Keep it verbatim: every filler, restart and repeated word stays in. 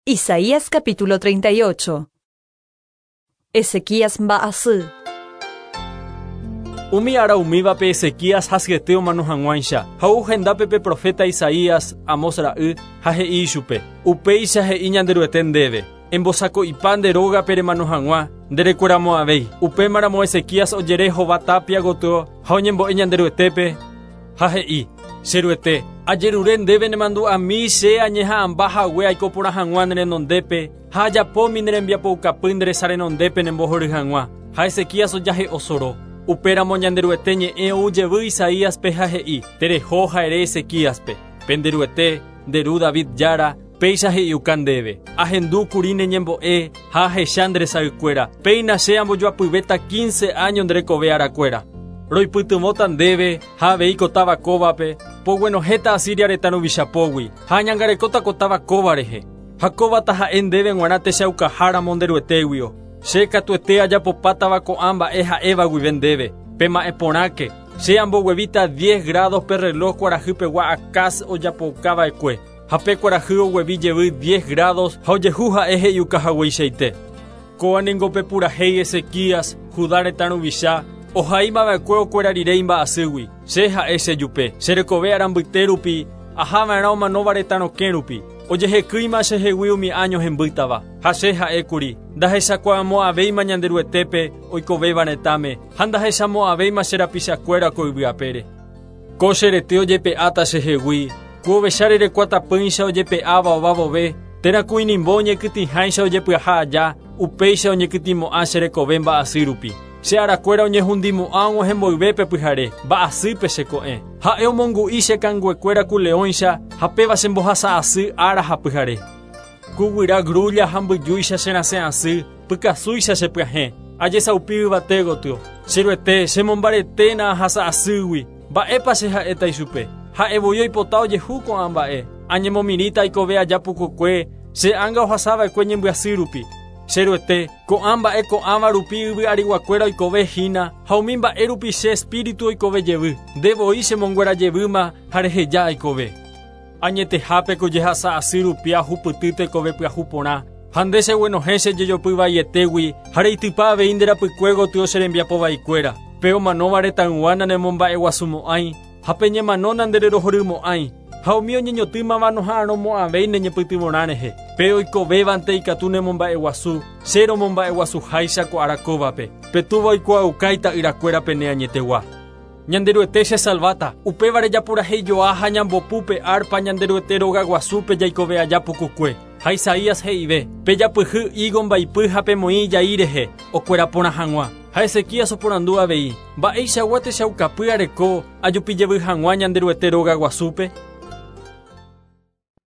Isaías capítulo treinta y ocho. Ezequías mba'asy. Umi ára umívape Ezequías hasyete omano hag̃uáicha ha ou hendápe pe profeta Isaías Amos ra'y ha he'i ichupe. Upéicha he'i Ñanderuete ndéve. Embosako'ipa nde rógape remano hag̃ua nderekueramo'ãvéi. Upémaramo Ezequías ojere hova tapia gotyo ha oñembo'e Ñanderuetépe ha he'i: Cheruete, ajerure ndéve nemandu'ami che añeha'ãmba hague aiko porã hag̃ua ne renondépe ha ajapómi ne rembiapoukapy nde resa renondépe nembohory hag̃ua. Ha Ezequías ojahe'o soro. Upéramo Ñanderuete ñe'ẽ ou jevy Isaíaspe ha he'i: Tereho ha ere Ezequíaspe. Penderuete, nde ru David jára, péicha he'iuka ndéve. Ahendu kuri ne ñembo'e ha ahecha nde resaykuéra. Péina che ambojoapyvéta quince años nde rekove arakuéra. Roipytyvõta ndéve ha avei ko táva kóvape, poguenohẽta Asiria retã ruvichapógui ha añangarekóta ko táva kóva rehe. Ha kóvata ha'e ndéve g̃uarã techaukaha nderuetéguio. Che katuete ajapopátava ko'ã mba'e ha'éva guive ndéve. Pema'ẽ porãke, che amboguevíta diez grados pe reloj kuarahýpegua Acaz ojapoukava'ekue. Ha pe kuarahy oguevi jevy diez grados ha ojehu ha'e he'iukahagueichaite. Kóva ningo pe purahéi Ezequías, Judá retã ruvicha, ohaimava'ekue okuera rire imba'asýgui. Che ha'e chejupe, che rekove arambyte rupi, ahava'erã omanóva retã rokẽ rupi. Ojehekýima chehegui umi año hembýtava. Ha che ha'ékuri, ndahechakuaamo'ãvéima Ñanderuetépe oikovéva retãme, ha ndahechamo'ãvéima che rapichakuéra ko yvy apére. Ko che rete ojepe'áta chehegui, ku ovecha rerekuatapýicha ojepe'áva ovavove, térã ku inimbo oñekytĩháicha ojepyaha aja, upéicha oñekytĩmo'ã che rekove mba'asy rupi. Che arakuéra oñehundimo'ã og̃uahẽmboyvépe pyhare, mba'asýpe cheko'ẽ. Ha'e omongu'i che kanguekuéra ku leõicha ha péva chembohasa asy ára ha pyhare. Ku guyra grulla ha mbyjúicha cherasẽ asy, pykasúicha chepyahẽ. Ajesaupi yvate gotyo. Cheruete, chemombareténa ahasa asýgui. Mba'épa che ha'éta ichupe. Ha'e voi oipota ojehu ko'ã mba'e. Añemomirĩta aikove aja pukukue, che ánga ohasava'ekue ñembyasy rupi. Cheruete, ko'ã mba'e ko'ãva rupi yvy ariguakuéra oikove hína ha umi mba'e rupi che espíritu oikove jevy. Nde voi chemonguera jevýma ha reheja aikove. Añetehápe ko jehasa asy rupi ahupyty tekove pyahu porã. Ha nde cheguenohẽ che jejopy vaietégui ha reitypa avei nde rapykue gotyo che rembiapo vaikuéra. Pe omanóva retãygua nanemomba'eguasumo'ãi ha pe ñemano nandererohorymo'ãi. Ha umi oñeñotỹmava noha'arõmo'ãvéi neñepytyvõrã rehe. Pe oikovévante ikatu nemomba'eguasu, che romomba'eguasuháicha ko ára kóvape. Pe túva oikuaauka ita'yrakuérape ne añetegua. Ñanderuete che salváta, upévare japurahéijoa ha ñambopu pe arpa Ñanderuete rogaguasúpe jaikove aja pukukue. Ha Isaías he'ive, pejapyhy higo mbaipy ha pemoĩ ijai rehe, okuera porã hag̃ua. Ha Ezequías oporandu avei, mba'eichagua techaukapy areko ajupijevy hag̃ua Ñanderuete rogaguasúpe.